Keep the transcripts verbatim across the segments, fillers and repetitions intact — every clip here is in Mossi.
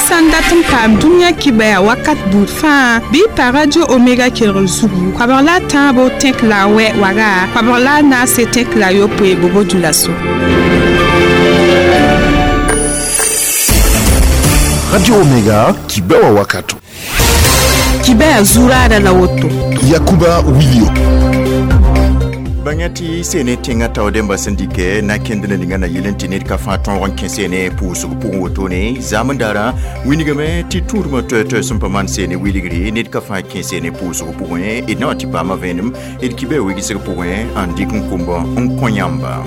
Sãn dat n paam dũniyã kibaya wakat buud fãa bɩ pa Radio Omega kelgr zugu koabg la a tãabo tẽk la a wɛ waga koabg la a naase tẽk la a yopoe bobo dulaso. Radio Omega kibewa wakato. Kibaya zurada la woto. Yakuba Wilio. Bãngã tɩ sene tẽngã tao dẽmba sẽn dɩkɛ na kẽnd na ninga na yel n tɩ ned ka fãa tõog n kẽ sene pʋʋsg pʋgẽ wotone zam n darã wilgame tɩ tũudmã toɛ-toɛ sẽn pa maan sene wilgre ned ka fãa kẽ sene pʋʋsg pʋgẽ d na wa tɩ paama vẽenem d kibɛ wigsg pʋgẽ n dɩk n kombã n kõ yãmba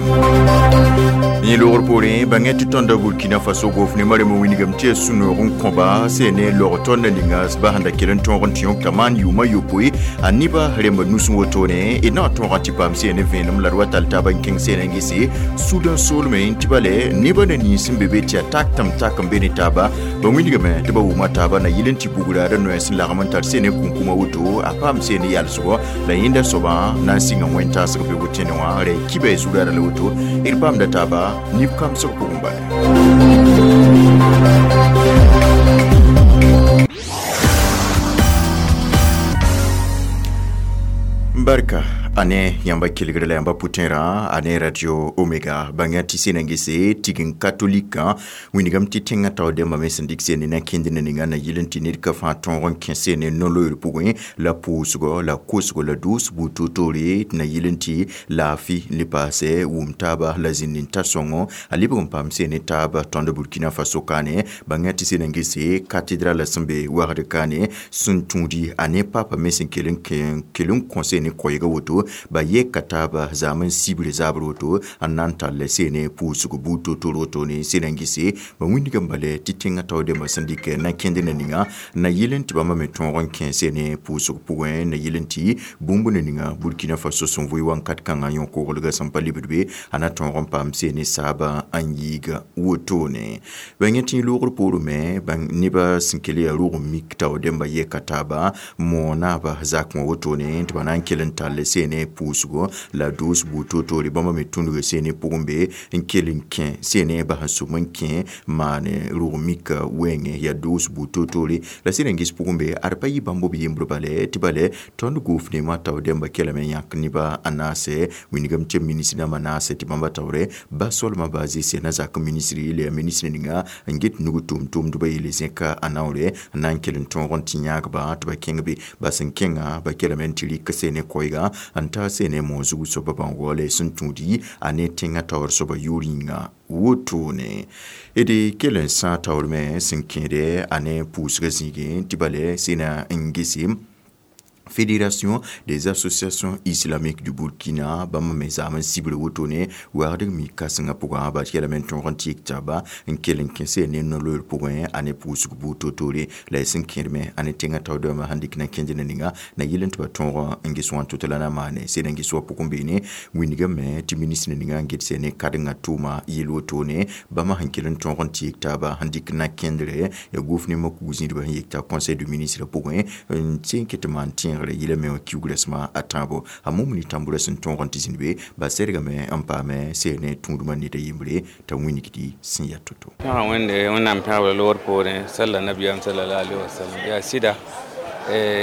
yẽ logr poorẽ bãngã tɩ tõnda Burkina Faso gofnemã rem wilgame tɩ ya sũ-noog n kõba sene log tõnd na ninga ba sẽn da kell n tõog n tɩ yõk t'a maan yʋʋmã yopoe a nebã rembã nus wotone d na wa tõog n tɩ paam sene vẽenem la d wa tall taab n kẽng sene n gese Sudan soolmẽ tɩ bale nebã na nins n be be tɩ yaa tak-tɩm tak n be ne taaba ba wilgame tɩ ba wʋma taaba na yɩl n tɩ bugra d noɛɛ sẽn lagm n tar sene kũnkũmã woto a paam sene yalsgɔ la yẽnda soabã na n sɩnga wẽn-taasg be wʋtẽne wã ra kiba zugara la woto d paamda taaba nif kamsg pʋgẽ bala. Barka ane yãmba kelgre la yãmba pʋtẽerã ane Radio Omega bãngã tɩ sena n gese tigeng katolikã wĩnigame tɩ tẽngã tao dẽmbã me sẽn dɩk sene na kẽnd na ninga na yɩl n tɩ ned ka fãa tõog n kẽ sene no-loeer pʋgẽ la pʋʋsgɔ la kosgo la doos buud toor-toore tɩ na yɩl n tɩ laafɩ le paasɛ wʋm taaba la zĩnd n ta sõngo a lebg n paam sene taab tõnd Burkina Faso kaane bãngã tɩ sena n gese cathédrale sẽn be wagd kaane sẽn tũudi a ne papa me sẽn kell n kõ sene koɛɛga woto ba yeka taaba zam n sibre zabr woto n na n tall sene pʋʋsg buud toor-toor woto ne sena n gese ba wĩndgame bale tɩ tẽngã tao dẽmbã sẽn dɩk na kẽnd na ninga na yɩl n tɩ bãmba me tõog n kẽ sene pʋʋsg pʋgẽ na yɩl n tɩ bũmb na ninga Burkina Faso sẽn vʋɩ wãnkat kãngã yõ-koglgã sẽn pa lebd be a na tõog n paam sene saabã n yiiga wotone bãng tɩ loogr poorẽ me nebã sẽn kell yaa rog n mik tao dẽmbã yeka taaba moonaaba zakẽ wã wotone tɩ ba na n kell n tall sene pʋʋsgo la doos buud toor-toore bãmba me tũnugã sene pʋgẽ be n kell n kẽ sene bas n sʋm n kẽ maane rog mika wɛɛngẽ yaa doos buud toor-toore la sẽn n ges pʋgẽ be ad pa yɩ bãmb b yembr bale tɩ bale tõnd goofnemã tao dẽmba kelame n yãk nebã a naasɛ wĩnigame tɩ ministr dãmbã naasɛ tɩ bãmba taoore ba solmã baa zɩsɛ na zak ministri la yaa ministr ninga n get nug tʋʋm-tʋʋmdbã yeele zẽka a naoore n na n kell n tõog n tɩ yãagba tɩ ba kẽng be ba sẽn kẽngã ba kelame n tɩ rɩk sene koɛɛga n ta sene moon zug soaba bãngɔ la sẽn tũudi a ne tẽngã taoor soaba yʋʋr yĩnga wotone d kell n sã taoor me sẽn kẽede a ne pʋʋsgã zĩigẽ tɩ bale sena n gese Fédération des associations islamiques du Burkina bãmb me zam n sibr wotone wagdg mi kãsengã pʋgã ba kelame n tõog n tɩ yek taaba n kell n kẽ sene no-loeer pʋgẽ a ne pʋʋsg buud toor-toore la y sẽn kẽdme a ne tẽngã taoodãmbã sẽn dɩk na kẽnd na ninga na yɩl n tɩ ba tõog n ges wã tʋ tɩ la na maane sene n ges wã pʋgẽ beene wĩnigame tɩ ministr ninga n get sene kadengã tʋʋma yel wotone bãmba sẽn kell n tõog n tɩ yek taaba sẽn dɩk na kẽndre ya gofnemã kug zĩidbã sẽn yek t'a conseil de ministre pʋgẽ n tẽn ket tɩ maan tẽegre yɩla me wã kiugrã sẽma a tãabo a mumni tãmbrã sẽn tõog n tɩ zĩnd be ba sɛdgame n paame sene tũudmã ned a yembre t'a wĩnigdi sẽn yaa to-to. Pẽga wẽnde wẽnnaam pẽgbra loogr poorẽ salla nabiyaam sallallahu alaihi wasallam yaa sɩda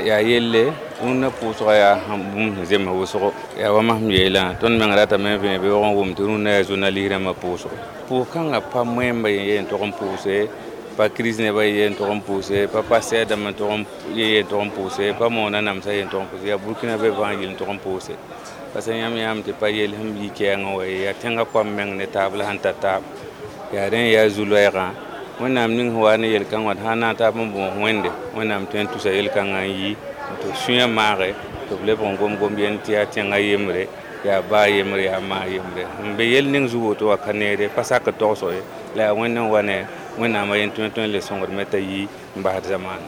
yaa yelle rũnnã pʋʋsga yaa bũmb sẽn zems wʋsgo yaa wa masem yeelã tõnd meng ratame n vẽ beoog n wʋm tɩ rũnnã yaa journaliste rãmbã pʋʋsgo pʋʋs-kãngã pa moẽmba ye n tog n pʋʋse pa crise nebã ye n tog n pʋʋse pa pasɛɛr dãmb n tog n ye n tog n pʋʋse pa moonã namsã ye n tog n pʋʋse yaa Burkina be fãa yel n tog n pʋʋse parce que yãmb yãam tɩ pa yel sẽn yi kɛɛngã wa ye yaa tẽngã koam meng ne taab la sẽn ta taab yaa rẽ yaa zu-loɛɛgã wẽnnaam ning sẽn wa ne yel-kãng wã sã n na n taab n bõos wẽnde wẽnnaam tõe n tusa yel-kãngã n yi tɩ b sũyã maage tɩ b lebg n gom-gom yel tɩ yaa tẽngã yembre yaa baa yembre yaa maa yembre n be yel ning zug woto wã ka neere pa sak togsg ye la yaa wẽnd n wa ne wẽnnaamã yen tõe tõe n le sõngdme t'a yi n basd zamaana.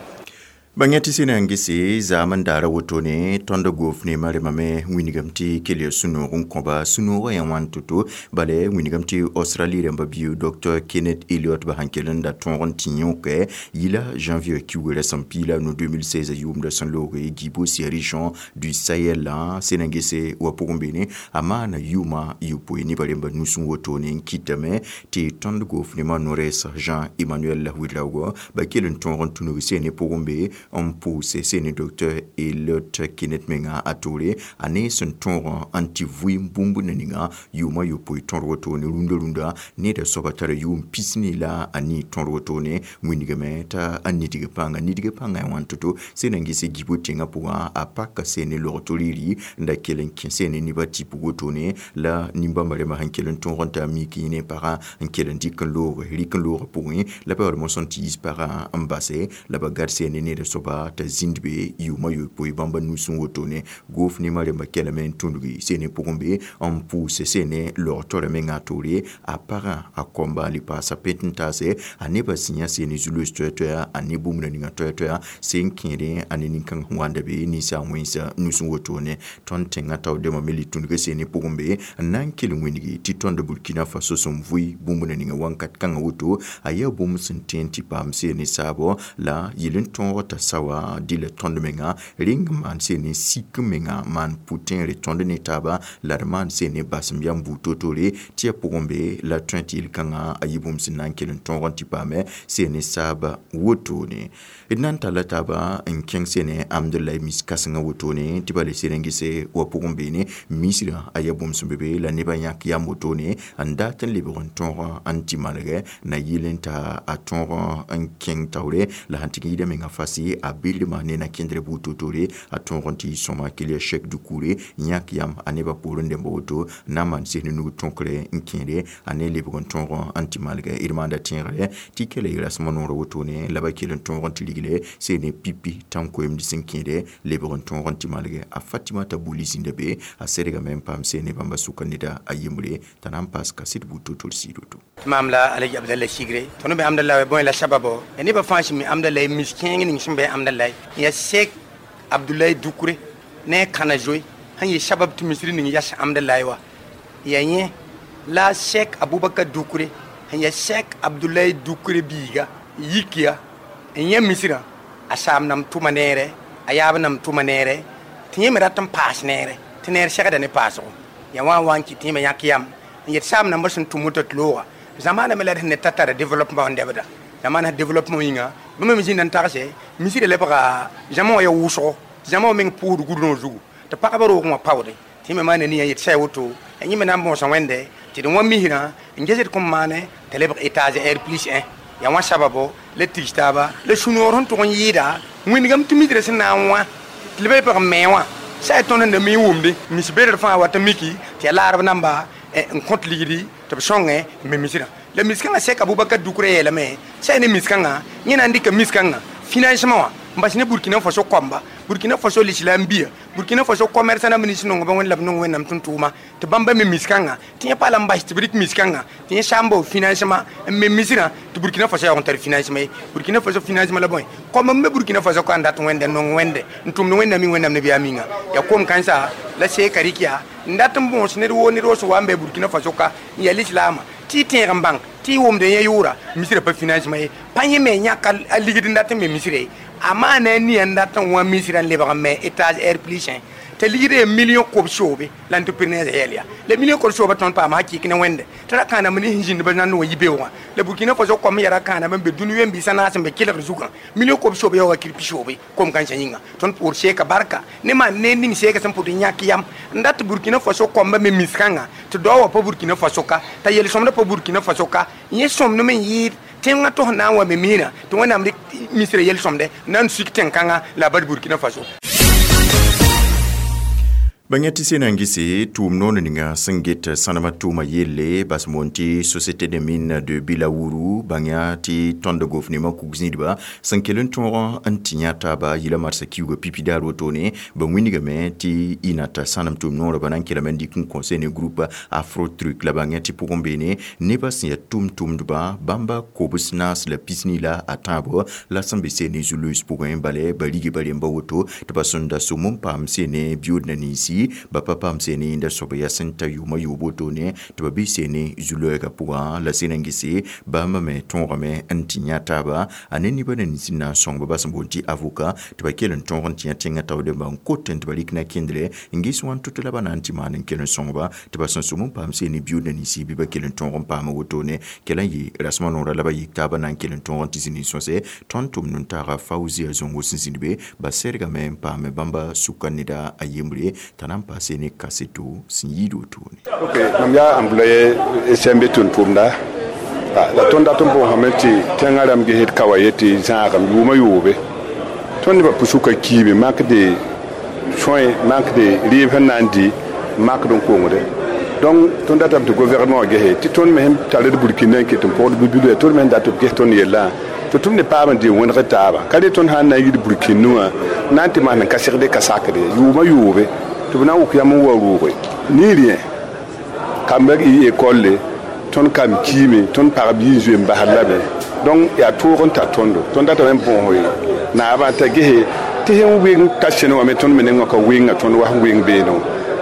Bãng tɩ sẽn na n gese zaam n daara wotone tõnd goof ne maremame wĩnigame tɩ kell ya sũ-noog n kõba sũ-noogã yã wãn to-to bala wĩnigame tɩ Australie rãmba bio Docteur Kenneth Elliott ba sãn kell n da tõog n tĩ yõkɛ yila janvier kiugrã sẽn piila no deux mille seize yʋʋmdã sẽn looge Djibouti, région du Sahel la sẽn na n gese wa pʋgẽ beene a maana yʋʋma yopoe nebã rẽmba nusẽ wotone n kɩtame tɩ tõnd goof nemã no-rɛɛs Jean Emmanuel Ouedraogo ba kell n tõog n tũnug sene pʋgẽ be n pʋʋse sene Docteur Elliott Kenneth menga a toore a ne sẽn tõog n tɩ vɩɩm bũmb na ninga yʋʋma yopoe tõr wotone rũndã rũndã neda soaba tara yʋʋm pisni la a nii tõr wotone wĩnigame t'a a nidg pãnga nidg pãnga yã wãn to-to sẽn na n ges Gibo tẽngã pʋgã a paka sene log riri n da kell n kẽ sene nebã tɩp wotone la nin-bãmba rẽmbã sẽn kell n tõog n t'a mik yẽ ne pagã n kell n dɩk n loog rɩk n loog pʋgẽ la pa yaoolem sẽn tɩ yiis pagã n base la ba gad sene neda soaba t'a zĩnd be yʋʋma yopoe bãmba nusẽ wotone goof nemã rẽmba kɛlame n tũngi sene pʋgẽ be n pʋʋse sene log-torã menga a toore a pagã a kõmba le paasa pent n taase a nebã sẽn yã sene zu-loos toɛ-toɛa a ne bũmb na ninga toɛ-toɛa sẽn kẽedẽ a ne nin-kãng sẽn wanda be ninsa wẽnsa nusẽ wotone tõnd tẽngã tao dẽmã me le tũnga sene pʋgẽ be n na n kell n wĩngi tɩ tõnd Burkina Faso sẽn vʋɩ bũmb na ninga wãnkat kãngã woto a yaa bũmb sẽn tõe tɩ paam sene saabo la yel n tõog t'a sawa dɩla tõnd menga rẽng maan sene sik menga maan pʋ-tẽere tõnd ne taaba la d maan sene basem yam buud to-tore tɩ ya pʋgẽ be la tõe tɩ yel-kãngã a yɩ bũmb sẽn na n kell n tõog n tɩ paame sene saaba wotone d na n talla taaba n kẽng sene amdulai mis kãsengã wotone tɩ ba le sed n gese wa pʋgẽ beene misrã a yaa bũmb sẽn be be la nebã yãk yam wotone n dat n lebg n tõog n tɩ malgɛ na yɩl n ta a tõog n kẽng taoore la sẽn tɩ yida menga fasi a bildmã ne na kẽndr buud to-tore a tõog n tɩ sõma kell ya Cheick Doucouré yãk yam a nebã poorẽ dẽmba woto na n maan sɩs ne nug tõkre n kẽede a ne lebg n tõog n tɩ malgɛ d maanda tẽegre tɩ kela y rasmã noorã wotone la ba kell n tõog n tɩ rigle sene pipi tãn-koeemd sẽn kẽede lebg n tõog n tɩ malgɛ a Fatimata Buli zĩnda be a sedgame n paam sene bãmba sʋka neda a yembre t'a na n paas kaset buud to-tor sɩɩd woto. Mam la Alaji Abdallah Sigre. Tõnd be amdallah bõe la sababo ya nebã fãa sẽn mi amdallah mis kẽeng ning sẽn be amdallah ya Sek Abdoulaye Doucouré ne kãna zoe sẽn yɩ sabab tɩ misri ning yas amdallah wa ya yẽ la Sek Abubakar Doucouré sẽn ya Sek Abdoulaye Doucouré biiga yikiya n yẽ misrã a saam nam tʋma neere a yaab nam tʋma neere tɩ yẽ me rat n paas neere tɩ neer segda ne paasgo ya wã n wa n kɩ tɩ yẽ me yãk yam n yet saam nambã sẽn tʋm woto tɩ looga zamana me la d sẽn ne ta tara développement n dɛbda zamana développement yĩnga bãmb me zĩnda n tagse misrã lebga zãma wã ya wʋsgo zãma wã meng pʋʋsd gʋdrõ zugu tɩ pagba roogẽ wã paoode tɩ yẽ me maana nin yet sɛ woto yẽ me na n bõosa wẽnde tɩ d wã misrã n ges d kõn maane t'a lebg étage R plus un ya wã sababo la tigs taaba la sũ-noor sẽn tʋg n yɩɩda wĩndgame tɩ misrã sẽn na n wã tɩ leb pg me wã sa tõnd n da mi wʋmde mis beedr fãa wat n miki tɩ ya laarb namba n kõt ligdi tɩ b sõngẽ n me misrã la mis-kãngã Sek Abubakar Doucouré yeelame sã ne mis-kãngã yẽ na n dɩka mis-kãngã financement wã n bas ne Burkina Faso koamba Burkina Faso l'islam bia Burkina Faso commerçant na ministre nongo ba wẽnd la b nong wẽnnaam tʋm tʋʋma tɩ bãmba me mis-kãngã tɩ yẽ pa la n bas tɩ b rɩk mis-kãngã tɩ yẽ sã n bao financement n me misrã tɩ Burkina Faso yaoog n tar financement ye Burkina Faso financement la bõe koam n me Burkina Faso ka n dat wẽnde n nong wẽnde n tʋmd wẽnnaam mi wẽnnaam nabiyaam yĩnga ya kom kãnsa la seeka rɩk yaa n dat n bõos ned woo ned woo sẽn wa n be Burkina Faso ka n yaa lislaamã tɩ y tẽeg n bãng tɩ y wʋmd yẽ yʋʋra misrã pa financement ye pa yẽ me yãk a ligd n dat n me misrã ye a maana a nia n dat n wã misrã n lebg n me étage R plus un t'a ligd ya million kob soobe la entrepreneur yɛl ya la million kob sooba tõnd paama hakɩk ne wẽnde tɩ ra kãanam ne sẽn zĩnd ba nand wã yi-beoogã la Burkina Faso kom ya ra kãanam n be dũni wẽn-biisã naas n be kelgr zugã million kob soobe yaooga kirpi soobe kom kãensã yĩnga tõnd pʋʋr seeka barka ne maan ne ning seeka sẽn pʋd n yãk yam n dat Burkina Faso koamba me mis-kãngã tɩ dao wã pa Burkina Faso ka t'a yel-sõmda pa Burkina Faso ka yẽ sõmdem n yɩɩd tẽngã tos na n wa me miirã tɩ wẽnnaam rɩk misrã yel-sõmde na n sik tẽn-kãngã la a bad Burkina Faso. Bãng tɩ sẽn na n gese tʋʋm noor ninga sẽn get sãnemã tʋʋma yelle bas moon tɩ Société des mines de Bilawuru bãng tɩ tõnd gofnemã kug zĩidba sẽn kell n tõog n tɩ yã taaba yɩla marsã kiuugã pipi daar wotone ba wĩnigame tɩ ɩ sãnem tʋʋm noorã ba na n kelame n dɩk n kõ ne groupe Afro Truc la bãng tɩ pʋgẽ beene nebã sẽn yaa tʋm-tʋmdba bãmba kobs naas la pisni la a tãabo la sẽn be sene zu-loees pʋgẽ bala ba rige ba remba woto tɩ ba sẽn da sʋm n paam sene biyood na ninsi ba pa paam sene yẽnda soab yaa sẽn ta yʋʋmã yoob wotone tɩ ba bɩ sene zu-loɛɛgã pʋgã la sẽn na n gese bãmba me tõogame n tɩ yã taaba a ne nebã na nins n na n sõng ba ba sẽn boond tɩ avocat tɩ ba kell n tõog n tɩ yã tẽngã taoodẽmbã n kot tɩ ba rɩk na kẽndre n ges wãn to-to la ba na n tɩ maan n kell n sõngba tɩ ba sẽn sʋm n paam sene biyood na ninsi bɩ ba kell n tõog n paama wotone kell n yɩ rasmã noorã la ba yik taabã na n kell n tõog n tɩ zĩnd n sõse tõnd tʋmd n taaga Faouzia Zongo sẽn zĩnd be ba sɛrgame n paame bãmba sʋka neda a yembre t'a na n paase ne kaseto sẽn yɩɩd wotone. Ok, mam yaa employé S M B tʋm tʋmda la tõnd dat n bõosame tɩ tẽngã rãmb gesd ka wa ye tɩ zãagem yʋʋmã yoobe tõnd nebã pʋsʋka kiime manque de soins, manque de rɩɩb sẽn na n dɩ makd n kongde. Donc tõnd datame tɩ gouvernement wã gese tɩ tõnd me sẽn tar d Burkina n ket n pʋgd bi-bilã tõnd me sẽn dat b ges tõnd yellã tɩ tʋm ne paam n dɩ wẽneg taaba ka re tõnd sã n na n yid Burkine wã na n tɩ maan n ka segde ka sakde yʋʋmã yoobe tɩ b na n wʋk yam n wa rooge ni rien kambã y école tõnd kam kiime tõnd pagb yɩ n zoe n basd lame. Donc yaa toog n tar tõndo tõnd datame n bõos naabã t'a gese tɩ sẽn weng ka sẽne wã me tõnd me nengã ka wenga tõnd wa sẽn weng beene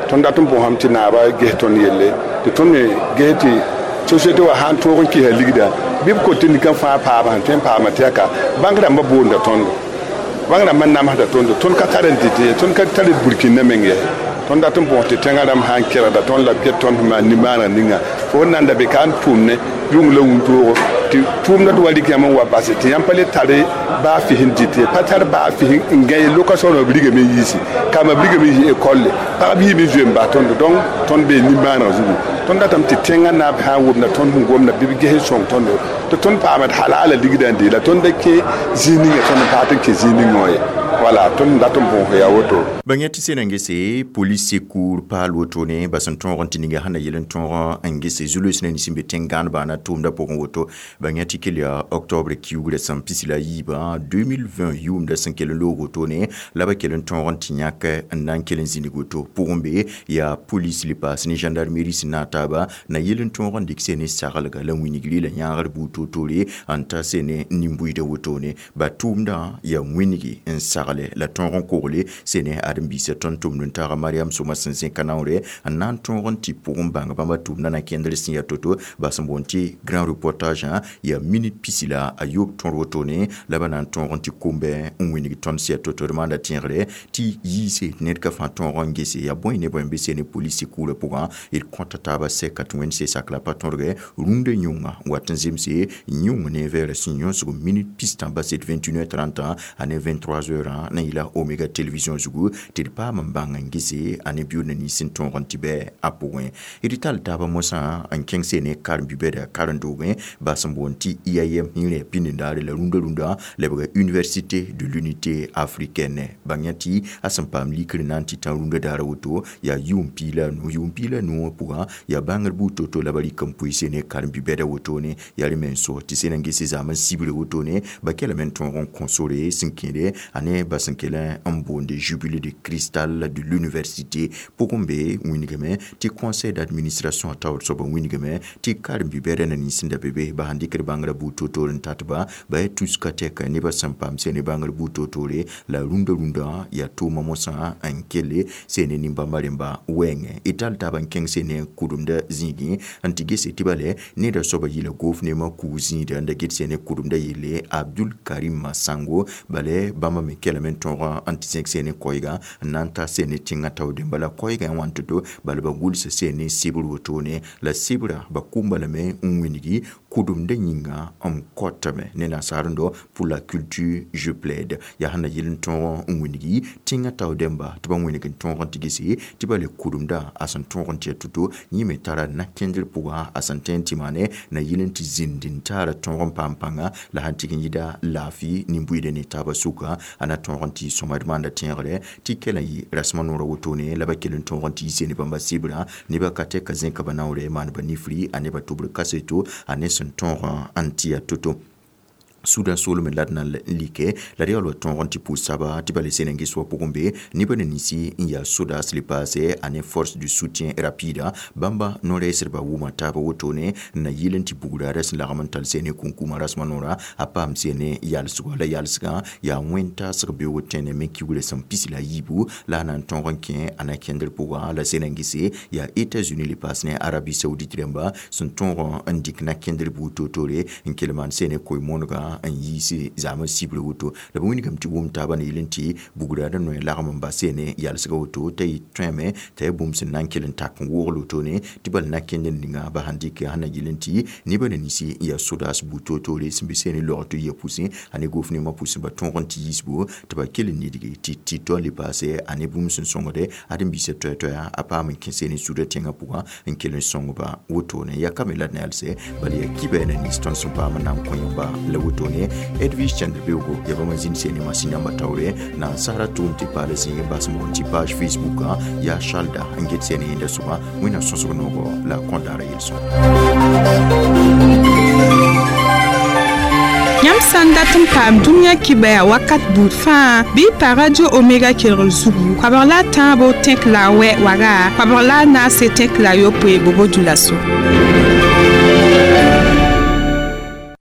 tõnd dat n bõosame tɩ naabã ges tõnd yelle tɩ tõnd me ges tɩ société wã sãn tõog n kɩsa ligda bɩ b kot tɩ nika fãa paama sẽn tõe n paama tɩ yaa ka bãng rãmbã boonda tõndo bãng rãmbã namsda tõndo tõnd ka tar n dɩt ye tõnd ka tar d Burkina meng ye tõnd dat n bõos tɩ tẽngã rãmb sã n kɛrgda tõnd la b get tõnd sẽn maan nimaaneg ninga fo sẽn na n da be ka n tʋʋm ne yʋng la wũntoogo tɩ tʋʋmda tɩ wa rɩk yãmb n wa base tɩ yãmb pa le tare baa fis n dɩt ye pa tar baa fis n gã ye location b rigame n yiisi kambã b rigame n yi école pagb yiime zoe n bas tõndo. Donc tõnd bee nimaaneg zugu tõnd datame tɩ tẽngã naab sã n womda tõnd sẽn gomda bɩ b ges n sõng tõndo tɩ tõnd paamd halaala ligdã n dee la tõnd da kẽ zĩig ninga tõnd n paat n kẽ zĩig ningã wã ye wala tõnd dat n bõos yaa woto. Bãng tɩ sẽn na n gese police secours paal wotone ba sẽn tõog n tɩ ninga sẽn na yel n tõog n gese zu-loees na nins n be tẽn-gãanebã na tʋʋmdã pʋgẽ woto bãng tɩ kell yaa octobre kiugrã sẽn pis la yiibã deux mille vingt yʋʋmda sẽn kell n loog wotone la ba kell n tõog n tɩ yãk n na n kell n zĩnig woto pʋgẽ be yaa police le paas ne gendarmerie sẽn na taaba na yel n tõog n dɩk sene saglga la wĩnigri la yãagr buud toor-toore n ta sene nin-buiidã wotone ba tʋʋmdã yaa wĩnigi n sagle la tõog n kogle sene ãdem-biisã tõnd tʋmd n taaga Mariam Sõma sẽn zẽka naoore n na n tõog n tɩ pʋgẽ bãng bãmba tʋʋmdã na kẽndr sẽn yaa to-to ba sẽn boond tɩ grand reportage yaa minute pisi la a yoob tõr wotone la ba na n tõog n tɩ kombɛ n wĩnig tõnd sẽn yaa to-to d maanda tẽegre tɩ yiise ned ka fãa tõog n gese yaa bõe ne bõe n be sene police secours pʋgã d kõta taaba sɛka tɩ wẽnd se sakla pa tõrgɛ rũndã yũngã wat n zemse yũng ne vɛɛra sẽn yõsg minute pistã baset vingt et une heures trente a ne vingt-trois heures na yɩla Omega Télévision zugu tɩ d paam n bãng n gese a ne biʋʋd na nins n tõog n tɩ bɛ a pʋgẽ d tall taabã mosã n kẽng sene karen-bi-bɛda karen-doogẽ ba sẽn boond tɩ I A M yẽ pĩnd-n-daare la rũndã rũndã lebga Université de l'Unité africaine bãng yã tɩ a sẽn paam likr na n tɩ tã rũndã daara woto yaa yʋʋm piig la nu yʋʋm piig la nu wã pʋgã yaa bãngr buud to-to la ba rɩk n pʋɩ sene karen-bi-bɛda wotone yaa rẽ me n so tɩ sẽn n gese zaam n sibre wotone ba kelame n tõog n kõ sore sẽn kẽede a ne ba sẽn kell n boonde jubilé de cristal de l'université pʋgẽ be wĩnigame tɩ conseil d'administration a taoor soab n wĩnigame tɩ karen-bi-bɛda na nins n da be be ba sãn dɩkd bãngrã buud to-toor n tatba ba yaa tuska tɛka nebã sẽn paam sene bãngr buud to-toore la rũndã rũndã yaa tʋʋma mosã n kelle sene nin-bãmba rẽmba wɛɛngẽ d tall taab n kẽng sene kʋdemda zĩigẽ n tɩ gese tɩ bale neda soaba yɩla gofnemã kug zĩida n da get sene kʋdemda yelle Abdul Karim Sango bale bãmba me kelame n tõog n tɩ zẽk sene koɛɛga n na n ta sene tẽngã taoodẽmba la koɛɛgã wã n to-to bala ba gʋlsa sene sɩbr wotone la sɩbrã ba kʋmba lame n wĩnigi Kʋdemdã yĩnga m kotame ne nasaarẽndo pour la culture je plaide. Yaa sẽn na yɩl n tõog n wĩngi tẽngã tao dẽmba tɩ ba wĩneg n tõog n tigse tɩ ba le kʋdemdã a sẽn tõog n tɩ ya to-to yẽ me tara na-kẽndr pʋga a sẽn tõe n tɩ maane na yɩl n tɩ zĩnd n taara tõog n paam pãnga la sãn tɩg n yɩda laafɩ nin-buiidã ne taabã sʋka a na tõog n tɩ sõma d maanda tẽegre tɩ kɛla yɩ rasmã noorã wotone la ba kell n tõog n tɩ yise ne bãmba sɩbrã nebã ka tɛka zẽka ba naoore maan ba nifri a nebã tʋbr kaseto a ne sẽn tõog n tɩ ya to-to. Sudan soolmẽ la d na n like la d yaool wa tõog n tɩ pʋʋs saba tɩ ba le sẽn n ges wa pʋgẽ be nebã ne ninsi n yaa sodas le paase a ne force de soutien rapide bãmba no-rɛɛsdbã wʋma taaba wotone n na yɩl n tɩ bugraarã sẽn lagm n tall sene kũnkũmã rasmã noorã a paam sene yalsgo la yalsgã yaa wẽn-taasg beoog tẽne me kiugrã sẽn pis la a yiibu la a na n tõog n kẽ a na kẽndr pʋga la sẽn n gese yaa États-Unis le paas ne Arabie Saoudite rãmba sẽn tõog n dɩk na kẽndr buud toor-toore n kell maan sene koe-moonegã n yiise zaamã sibrã woto la b wĩnigame tɩ wʋm taabã ne yɩl n tɩ bugraadã noe lagm n bas ne yalsga woto t'a yɩ tõeme t'a yaa bũmb sẽn na n kell n tak n woogl wotone tɩ bal na kẽnd n ninga ba sãn dɩk sẽn na yɩl n tɩ nebã ne ninsi n yaa sodaas buud toor-toore sẽn be sene log tɩ ya pʋsẽ a ne gofnemã pʋsẽ ba tõog n tɩ yiisbo tɩ ba kell n nidge tɩ tɩ le paase a ne bũmb sẽn sõngde ãdem-biisã toɛ-toɛa a paam n kẽ sene sudã tẽngã pʋgã n kell n sõngba wotone ya ka me la d na yalsɛ bala yaa kibɛ na nins tõnd sẽn paam n na n kõ yãmba la wotone Edwige Chandr-Beoogo ya bãmb zĩnd sene masĩn yãmba taoore na n sara tʋʋm tɩ paal zĩig n bas moon tɩ page Facebook yaa Charlda n get sene yẽnda sʋga wẽnnaam sõsg noogo la kõdaara yel-sõm. Yãmb sã n dat n paam dũniyã kibaya wakat buud fãa bɩ pa Radio Omega kelgr zugu koabg la a tãabo tẽk la a wɛ waga koabg la a naase tẽk la a yopoe bobo dulaso.